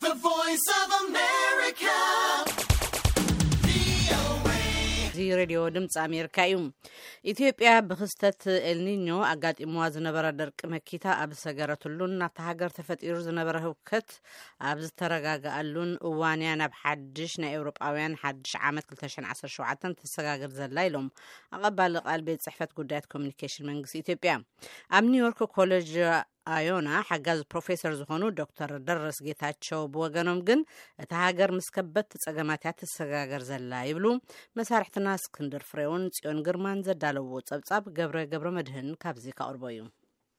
The Voice of America. እዚ ሬድዮ ድምፂ ኣሜሪካ እዩ። ኢትዮጵያ ብክስተት ኤልኒኞ ኣጋጢምዋ ዝነበረ ደርቂ መኪታ ኣብ ዝሰገረትሉን ናብታ ሃገር ተፈጢሩ ዝነበረ ህውከት ኣብ ዝተረጋግኣሉን እዋን እያ ናብ ሓድሽ ናይ ኤውሮጳውያን ሓድሽ ዓመት ክልተ ሽሕን ዓሰርተ ሸውዓተን ትሰጋገር ዘላ ኢሎም ኣቐባሊ ቃል ቤት ጽሕፈት ጉዳያት ኮሚኒኬሽን መንግስቲ ኢትዮጵያ። ኣብ ኒውዮርክ ኮሌጅ ኣዮና ሓጋዚ ፕሮፌሰር ዝኾኑ ዶክተር ደረስ ጌታቸው ብወገኖም ግን እታ ሃገር ምስ ከበድቲ ጸገማት እያ ትሰጋገር ዘላ ይብሉ። መሳርሕትና እስክንድር ፍሬውን ጽዮን ግርማን ዘዳለዎ ጸብጻብ ገብረ ገብረ መድህን ካብዚ ካቕርቦ እዩ።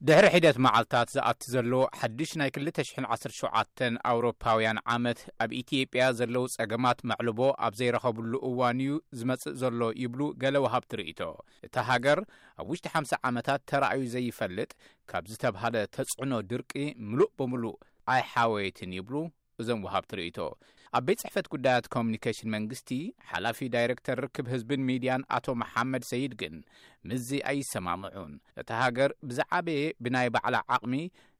ድሕሪ ሒደት መዓልታት ዝኣቲ ዘሎ ሓድሽ ናይ ክልተ ሽሕን ዓሰርተ ሸውዓተን ኣውሮፓውያን ዓመት ኣብ ኢትዮጵያ ዘለዉ ጸገማት መዕልቦ ኣብ ዘይረኸብሉ እዋን እዩ ዝመጽእ ዘሎ ይብሉ ገለ ወሃብቲ ርእይቶ። እታ ሃገር ኣብ ውሽጢ ሓምሳ ዓመታት ተራእዩ ዘይፈልጥ ካብ ዝተብሃለ ተጽዕኖ ድርቂ ምሉእ ብምሉእ ኣይሓወየትን ይብሉ እዞም ወሃብቲ ርእይቶ። ኣብ ቤት ጽሕፈት ጉዳያት ኮሚኒኬሽን መንግስቲ ሓላፊ ዳይሬክተር ርክብ ህዝብን ሚድያን ኣቶ መሓመድ ሰይድ ግን ምስዚ ኣይሰማምዑን። እታ ሃገር ብዝዓበየ ብናይ ባዕላ ዓቕሚ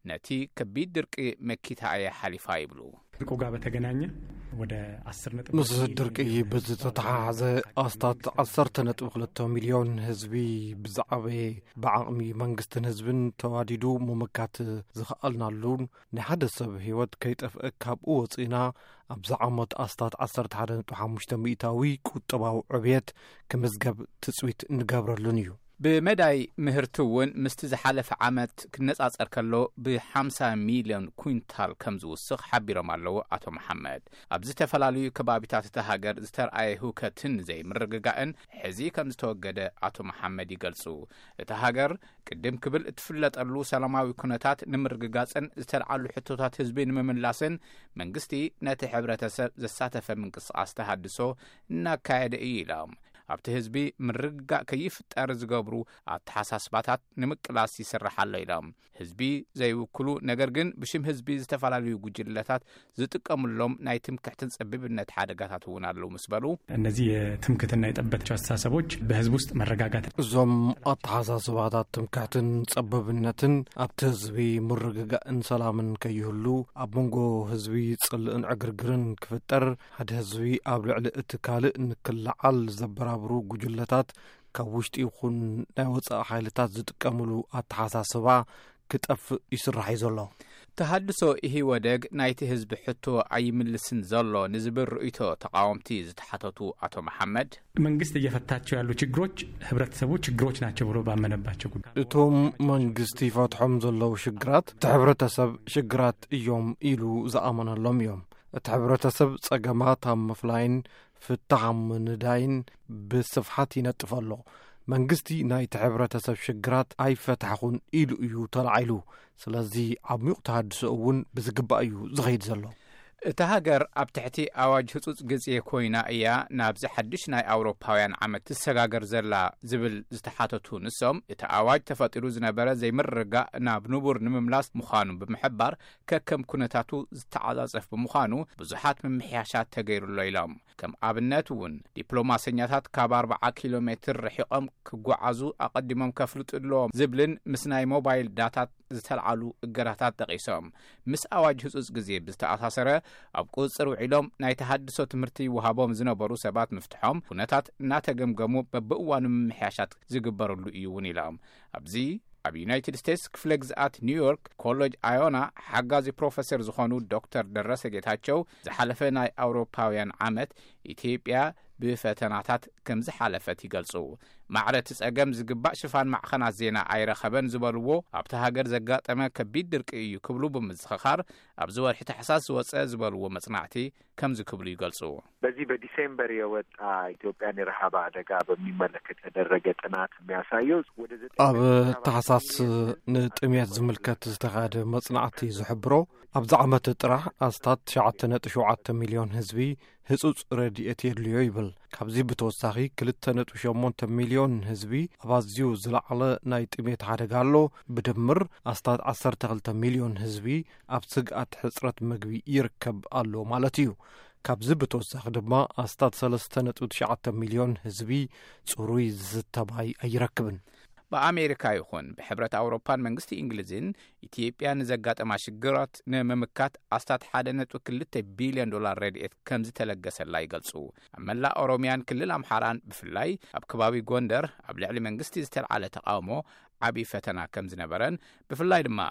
ነቲ ከቢድ ድርቂ መኪታ እያ ሓሊፋ ይብሉ። ድርቁ ጋር በተገናኘ ወደ አስር ነጥብ ምስ ድርቂ ብዝተተሓሓዘ ኣስታት ዓሰርተ ነጥቢ ክልተ ሚልዮን ህዝቢ ብዝዓበየ ብዓቕሚ መንግስትን ህዝብን ተዋዲዱ ምምካት ዝኸኣልናሉን ናይ ሓደ ሰብ ህይወት ከይጠፍአ ካብኡ ወፂእና ኣብዚ ዓመት ኣስታት ዓሰርተ ሓደ ነጥቢ ሓሙሽተ ሚእታዊ ቁጠባዊ ዕብየት ክምዝገብ ትፅቢት እንገብረሉን እዩ። ብመዳይ ምህርቲ እውን ምስቲ ዝሓለፈ ዓመት ክነጻጸር ከሎ ብሓምሳ ሚልዮን ኩንታል ከም ዝውስኽ ሓቢሮም ኣለዉ ኣቶ መሓመድ። ኣብ ዝተፈላለዩ ከባቢታት እታ ሃገር ዝተርኣየ ህውከትን ዘይምርግጋእን ሕዚ ከም ዝተወገደ ኣቶ መሓመድ ይገልጹ። እታ ሃገር ቅድም ክብል እትፍለጠሉ ሰላማዊ ኩነታት ንምርግጋጽን ዝተልዓሉ ሕቶታት ህዝቢ ንምምላስን መንግስቲ ነቲ ሕብረተሰብ ዘሳተፈ ምንቅስቓስ ተሃድሶ እናካየደ እዩ ኢሎም። ኣብቲ ህዝቢ ምርግጋእ ከይፍጠር ዝገብሩ ኣተሓሳስባታት ንምቅላስ ይስራሕ ኣሎ ኢሎም። ህዝቢ ዘይውክሉ ነገር ግን ብሽም ህዝቢ ዝተፈላለዩ ጉጅለታት ዝጥቀምሎም ናይ ትምክሕትን ጸቢብነት ሓደጋታት እውን ኣለዉ ምስ በሉ፣ እነዚህ የትምክትና የጠበታቸው አስተሳሰቦች በህዝብ ውስጥ መረጋጋት እዞም ኣተሓሳስባታት ትምክሕትን ጸበብነትን ኣብቲ ህዝቢ ምርግጋእን ሰላምን ከይህሉ ኣብ መንጎ ህዝቢ ጽልእን ዕግርግርን ክፍጠር ሓደ ህዝቢ ኣብ ልዕሊ እቲ ካልእ ንክለዓል ዘበራብሩ ጉጅለታት ካብ ውሽጢ ይኹን ናይ ወጻኢ ሓይልታት ዝጥቀምሉ ኣተሓሳስባ ክጠፍእ ይስራሕ እዩ ዘሎ። ተሃድሶ ኢህወደግ ናይቲ ህዝቢ ሕቶ ኣይምልስን ዘሎ ንዝብል ርእይቶ ተቃወምቲ ዝተሓተቱ ኣቶ መሓመድ፣ መንግስት እየፈታቸው ያሉ ችግሮች ህብረተሰቡ ችግሮች ናቸው ብሎ ባመነባቸው ጉዳይ እቶም መንግስቲ ይፈትሖም ዘለዉ ሽግራት እቲ ሕብረተሰብ ሽግራት እዮም ኢሉ ዝኣመነሎም እዮም። እቲ ሕብረተሰብ ጸገማት ኣብ ምፍላይን ፍታሕ ኣብ ምንዳይን ብስፍሓት ይነጥፍ ኣሎ። መንግስቲ ናይቲ ሕብረተሰብ ሽግራት ኣይፈታሕኹን ኢሉ እዩ ተላዒሉ። ስለዚ ዓሚቕ ተሃድሶ እውን ብዝግባእ እዩ ዝኸይድ ዘሎ። እታ ሃገር ኣብ ትሕቲ ኣዋጅ ህጹጽ ግዜ ኮይና እያ ናብዚ ሓድሽ ናይ ኣውሮፓውያን ዓመት ትሰጋገር ዘላ ዝብል ዝተሓተቱ ንሶም፣ እቲ ኣዋጅ ተፈጢሩ ዝነበረ ዘይምርግጋእ ናብ ንቡር ንምምላስ ምዃኑ ብምሕባር፣ ከከም ኩነታቱ ዝተዓጻጸፍ ብምዃኑ ብዙሓት ምምሕያሻት ተገይሩሎ ኢሎም። ከም ኣብነት እውን ዲፕሎማሰኛታት ካብ ኣርብዓ ኪሎ ሜትር ርሒቖም ክጓዓዙ ኣቐዲሞም ከፍልጡ ኣለዎም ዝብልን ምስ ናይ ሞባይል ዳታት ዝተልዓሉ እገዳታት ጠቒሶም። ምስ ኣዋጅ ህጹጽ ግዜ ብዝተኣሳሰረ ኣብ ቁጽጽር ውዒሎም ናይ ተሃድሶ ትምህርቲ ይወሃቦም ዝነበሩ ሰባት ምፍትሖም ኩነታት እናተገምገሙ በብእዋኑ ምምሕያሻት ዝግበረሉ እዩ እውን ኢሎም። ኣብዚ ኣብ ዩናይትድ ስቴትስ ክፍለ ግዝኣት ኒውዮርክ ኮሌጅ ኣዮና ሓጋዚ ፕሮፌሰር ዝኾኑ ዶክተር ደረሰ ጌታቸው ዝሓለፈ ናይ ኣውሮፓውያን ዓመት ኢትዮጵያ ብፈተናታት ከም ዝሓለፈት ይገልጹ። ማዕረ እቲ ጸገም ዝግባእ ሽፋን ማዕኸናት ዜና ኣይረኸበን ዝበልዎ ኣብቲ ሃገር ዘጋጠመ ከቢድ ድርቂ እዩ ክብሉ ብምዝኽኻር ኣብዚ ወርሒ ታሕሳስ ዝወጸ ዝበልዎ መጽናዕቲ ከምዚ ክብሉ ይገልጹ። በዚህ በዲሴምበር የወጣ ኢትዮጵያን የረሃብ አደጋ በሚመለከት የተደረገ ጥናት የሚያሳየው ወደ ዘጠኝ ኣብ ነጥብ ሰባት ታሕሳስ ሚሊዮን ንጥሜት ዝምልከት ዝተኻየደ መጽናዕቲ ዝሕብሮ ኣብዚ ዓመት ጥራሕ ኣስታት ትሽዓተ ነጥቢ ሸውዓተ ሚልዮን ህዝቢ ህጹጽ ረድኤት የድልዮ ይብል። ካብዚ ብተወሳኺ ክልተ ነጥቢ ሸሞንተ ሚልዮን ህዝቢ ኣብ ኣዝዩ ዝለዓለ ናይ ጥሜት ሓደጋ ኣሎ። ብድምር ኣስታት ዓሰርተ ክልተ ሚልዮን ህዝቢ ኣብ ስግኣት ሕጽረት መግቢ ይርከብ ኣሎ ማለት እዩ። ካብዚ ብተወሳኺ ድማ ኣስታት ሰለስተ ነጥቢ ትሽዓተ ሚልዮን ህዝቢ ጽሩይ ዝስተ ማይ ኣይረክብን። ብኣሜሪካ ይኹን ብሕብረት ኣውሮፓን መንግስቲ እንግሊዝን ኢትዮጵያ ንዘጋጠማ ሽግራት ንምምካት ኣስታት ሓደ ነጥቢ ክልተ ቢልዮን ዶላር ረድኤት ከም ዝተለገሰላ ይገልጹ። ኣብ መላእ ኦሮሚያን ክልል ኣምሓራን ብፍላይ ኣብ ከባቢ ጎንደር ኣብ ልዕሊ መንግስቲ ዝተልዓለ ተቃውሞ ዓብዪ ፈተና ከም ዝነበረን ብፍላይ ድማ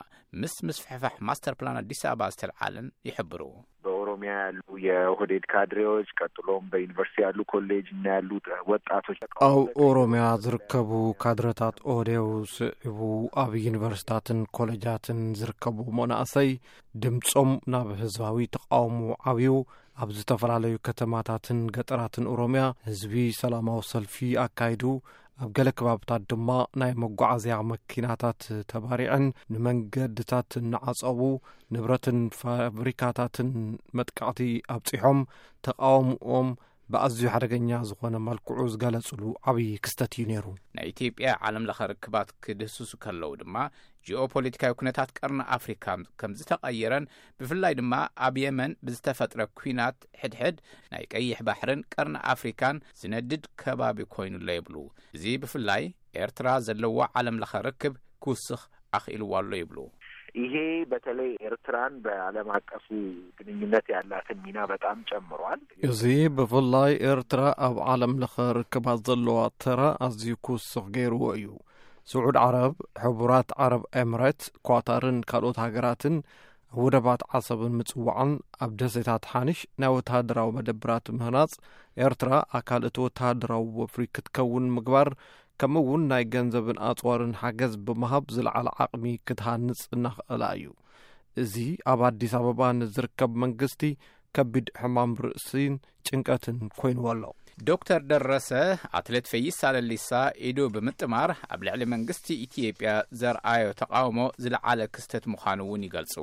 ምስ ምስፍሕፋሕ ማስተር ፕላን ኣዲስ ኣበባ ዝተልዓለን ይሕብሩ። በኦሮሚያ ያሉ የኦህዴድ ካድሬዎች፣ ቀጥሎም በዩኒቨርሲቲ ያሉ ኮሌጅ እና ያሉ ወጣቶች ኣብ ኦሮሚያ ዝርከቡ ካድረታት ኦህዴው ስዒቡ ኣብ ዩኒቨርሲታትን ኮሌጃትን ዝርከቡ መናእሰይ ድምፆም ናብ ህዝባዊ ተቃውሞ ዓብዩ ኣብ ዝተፈላለዩ ከተማታትን ገጠራትን ኦሮሚያ ህዝቢ ሰላማዊ ሰልፊ ኣካይዱ። ኣብ ገለ ከባብታት ድማ ናይ መጓዓዝያ መኪናታት ተባሪዐን ንመንገድታት እናዓጸቡ ንብረትን ፋብሪካታትን መጥቃዕቲ ኣብጺሖም ተቃውምኦም ብኣዝዩ ሓደገኛ ዝኾነ መልክዑ ዝገለጽሉ ዓብዪ ክስተት እዩ ነይሩ። ናይ ኢትዮጵያ ዓለም ለኸ ርክባት ክድህስሱ ከለዉ ድማ ጂኦፖለቲካዊ ኩነታት ቀርኒ ኣፍሪካ ከም ዝተቐየረን ብፍላይ ድማ ኣብ የመን ብዝተፈጥረ ኩናት ሕድሕድ ናይ ቀይሕ ባሕርን ቀርኒ ኣፍሪካን ዝነድድ ከባቢ ኮይኑሎ ይብሉ። እዚ ብፍላይ ኤርትራ ዘለዎ ዓለም ለኸ ርክብ ክውስኽ ኣኽኢልዋ ኣሎ ይብሉ። ይሄ በተለይ ኤርትራን በዓለም አቀፉ ግንኙነት ያላትን ሚና በጣም ጨምሯል። እዚ ብፍላይ ኤርትራ ኣብ ዓለም ለኸ ርክባት ዘለዋ ተራ ኣዝዩ ክውስኽ ገይርዎ እዩ። ስዑድ ዓረብ፣ ሕቡራት ዓረብ ኤምሬት፣ ኳታርን ካልኦት ሃገራትን ኣብ ወደባት ዓሰብን ምጽዋዕን ኣብ ደሴታት ሓንሽ ናይ ወተሃደራዊ መደብራት ምህናጽ ኤርትራ ኣካል እቲ ወተሃደራዊ ወፍሪ ክትከውን ምግባር ከምኡ እውን ናይ ገንዘብን ኣጽዋርን ሓገዝ ብምሃብ ዝለዓለ ዓቕሚ ክትሃንጽ እናኽእላ እዩ። እዚ ኣብ ኣዲስ ኣበባ ንዝርከብ መንግስቲ ከቢድ ሕማም ርእሲን ጭንቀትን ኮይንዎ ኣሎ። ዶክተር ደረሰ ኣትሌት ፈይሳ ለሊሳ ኢዱ ብምጥማር ኣብ ልዕሊ መንግስቲ ኢትዮጵያ ዘርኣዮ ተቃውሞ ዝለዓለ ክስተት ምዃኑ እውን ይገልጹ።